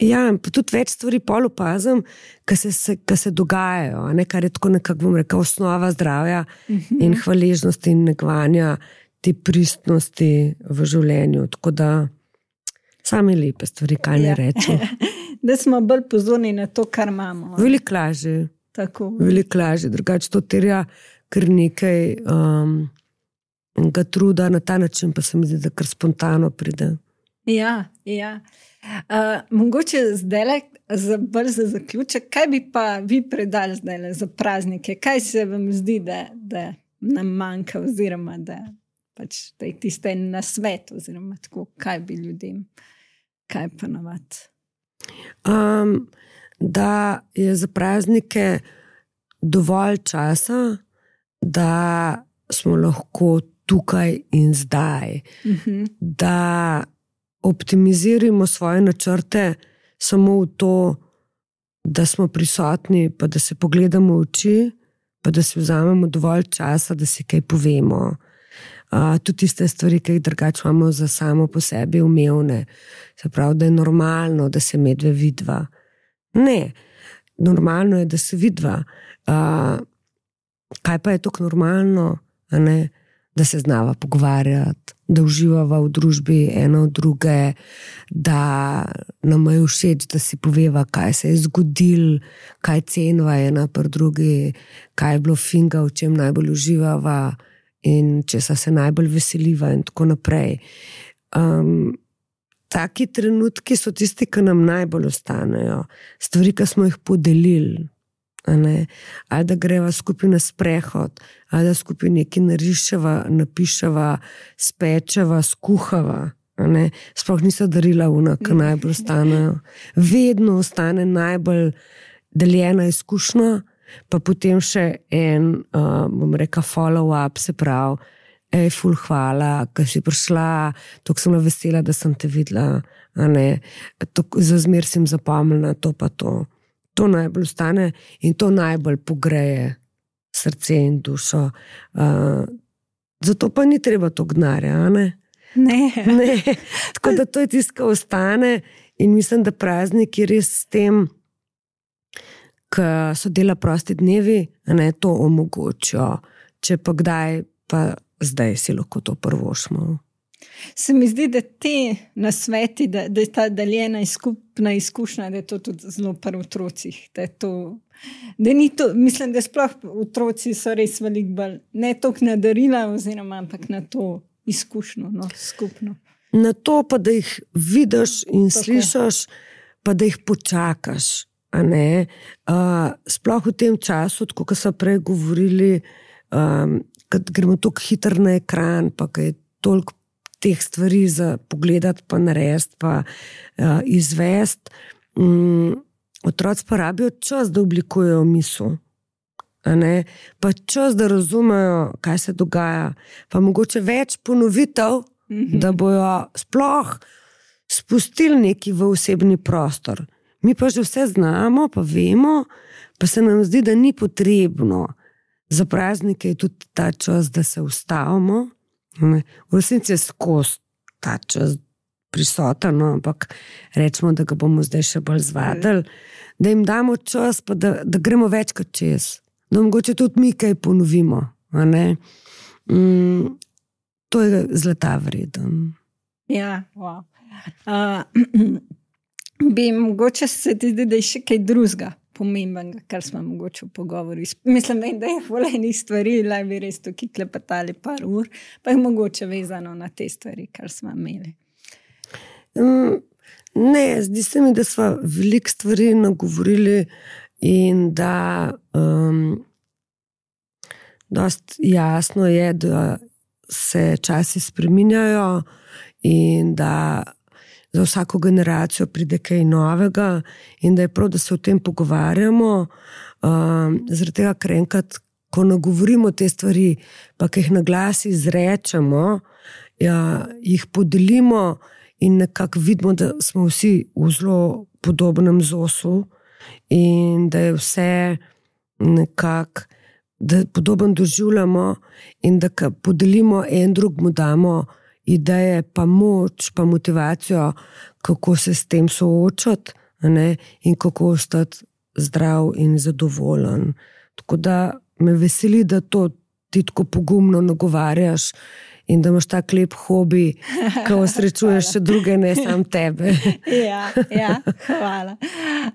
ja, pa tudi več stvari pol opazim, ki se, se, se dogajajo, a ne, kar je tako nekako, bom rekel, osnova zdravja uh-huh. in hvaležnosti in negovanja te pristnosti v življenju. Tako da same lepe stvari, kaj ne ja. rečem. Da smo bolj pozorni na to, kar imamo. Veliko lažje. Tako. Veliko lažje. Drugače to terja kar nekaj um, ga truda, na ta način pa se mi zdi, da kar spontano pride. Ja, ja. Uh, mogoče zdaj za bolj za zaključek, kaj bi pa vi predali zdaj za praznike? Kaj se vam zdi, da, da nam manjka oziroma da, pač, da je tiste na svet oziroma tako, kaj bi ljudem kaj pa navad? Um, da je za praznike dovolj časa, da smo lahko tukaj in zdaj. Uh-huh. Da optimiziramo svoje načrte samo v to, da smo prisotni, pa da se pogledamo v oči, pa da si vzamemo dovolj časa, da si kaj povemo. Uh, tudi tiste stvari, ki jih drugače imamo za samo po sebi umevne. Se pravi, da je normalno, da se medve vidva. Ne, normalno je, da se vidva. Uh, kaj pa je tako normalno, a ne? Da se znava pogovarjati, da uživava v družbi eno od druge, da nam je všeč, da si poveva, kaj se je zgodil, kaj cenva ena pri drugi, kaj je bilo finga, v čem najbolj uživava in česa se najbolj veseliva in tako naprej. Um, taki trenutki so tisti, ki nam najbolj ostanejo. Stvari, ki smo jih podelili. Ali da greva skupaj na sprehod, ali da skupaj nekaj nariševa, napiševa, spečeva, skuhava. Sploh niso darila una, ki najbolj ostanejo. Vedno ostane najbolj deljena izkušnja, pa potem še en, uh, bom rekel, follow-up, se pravi, ej, ful, hvala, ker si prišla, toliko sem vesela, da sem te videla, za zmer sem zapomnila to pa to. To najbolj ostane in to najbolj pogreje srce in dušo. Uh, zato pa ni treba to gnarja, a ne? Ne. ne. Tako da to je tisto, kar ostane in mislim, da prazniki res s tem, ki so dela prosti dnevi, a ne, to omogočijo. Če pa kdaj, pa zdaj si lahko to prvošmo. Se mi zdi, da te nasveti, da, da je ta deljena skupna izkušnja, da je to tudi zelo pri otrocih. Da je to, da ni to, mislim, da sploh otroci so res veliko bolj, ne toliko na darila, oziroma ampak na to izkušnjo, no, skupno. Na to pa, da jih vidiš in tako slišaš, pa da jih počakaš. A ne? Uh, sploh v tem času, tako kot so prej govorili, um, kad gremo toliko hitro na ekran, pa kad je toliko teh stvari za pogledati, pa narediti, pa uh, izvesti. Um, otroci pa rabijo čas, da oblikujejo misel. A ne? Pa čas, da razumejo, kaj se dogaja. Pa mogoče več ponovitev, mm-hmm. da bojo sploh spustili neki v osebni prostor. Mi pa že vse znamo, pa vemo, pa se nam zdi, da ni potrebno. za praznike je tudi ta čas, da se ustavimo. V resnici je skozi ta čas prisoten, no, ampak rečemo, da ga bomo zdaj še bolj zvadili, da jim damo čas, pa da, da gremo večkrat čez. Da mogoče tudi mi kaj ponovimo. A ne? Mm, to je zlata vreden. Ja, wow. Uh, bi mogoče se ti zdi, da je še kaj drugega pomembnega, kar smo mogoče v pogovoru. Mislim, da je volejnih stvari, da bi res tukaj klepetali par ur, pa je mogoče vezano na te stvari, kar smo imeli. Um, ne, zdi se mi, da smo veliko stvari nagovorili in da um, dost jasno je, da se časi spreminjajo in da za vsako generacijo pride kaj novega in da je prav, da se o tem pogovarjamo. Um, zaradi tega, ker enkrat, ko nagovorimo te stvari, pa ki jih na glas izrečemo, ja, jih podelimo in nekako vidimo, da smo vsi v zelo podobnem zosu in da je vse nekako, da podobno doživljamo in da podelimo en drugemu damo ideje, pa moč, pa motivacijo, kako se s tem soočati, ne? In kako ostati zdrav in zadovoljen. Tako da me veseli, da to ti tako pogumno nagovarjaš in da imaš tak lep hobi, ko osrečuješ še druge, ne sam tebe. Ja, ja, hvala.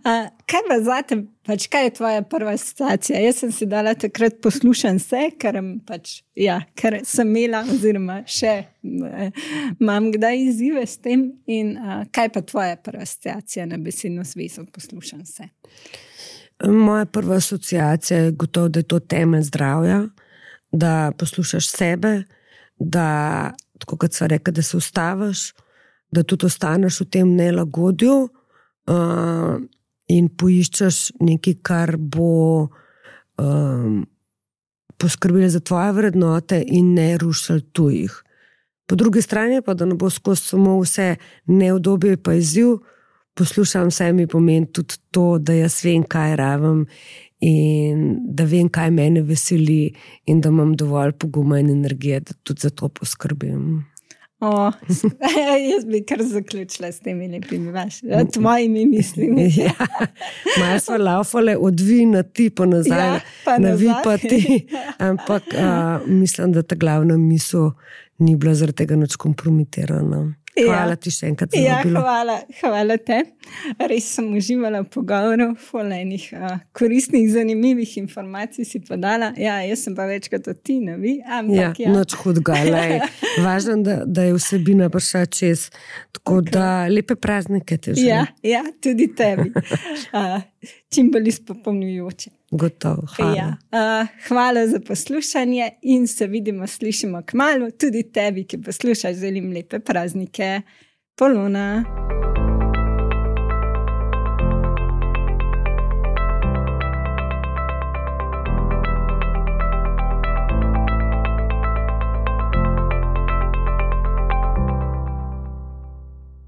Uh, kaj pa zate, pač kaj je tvoja prva asociacija? Jaz sem si dala takrat poslušan se, ker, pač, ja, ker sem imela oziroma še imam kdaj izzive s tem in uh, kaj pa tvoja prva asociacija na besedno zvezo poslušan se? Moja prva asociacija je gotovo, da je to temelj zdravja, da poslušaš sebe, da, tako kot sva rekla, da se ustaviš, da tudi ostaneš v tem nelagodju uh, in poiščeš nekaj, kar bo um, poskrbelo za tvoje vrednote in ne rušil tujih. Po drugi strani pa, da ne bo skozi samo vse neudobje pa izziv, poslušam vse mi pomeni tudi to, da jaz vem, kaj rabim in da vem, kaj mene veseli in da imam dovolj poguma in energije, da tudi za to poskrbim. O, jaz bi kar zaključila s temi lepimi vašimi, tvojimi mislimi. Ja, malo smo laufale od vi na ti pa nazaj, ja, pa na nazaj. Vi pa ti, ampak a, mislim, da ta glavna misel ni bila zaradi tega nič kompromitirana. Hvala ja. Ti še enkrat za ja, bilo. Hvala, hvala te. Res sem uživala v pogovoru, enih uh, koristnih, zanimivih informacij si podala. Ja, jaz sem pa večkrat od ti, ne vi. Ampak, ja, ja. Noč hudga, važno, da, da je vsebina prišla čez. Tako okay. Da lepe praznike te želim. Ja, ja, tudi tebi. Uh, čim bolj izpopolnjujoče. Gotovo, hvala. Ja. Uh, hvala za poslušanje in se vidimo, slišimo kmalu. Tudi tebi, ki poslušaš, želim lepe praznike. Polona.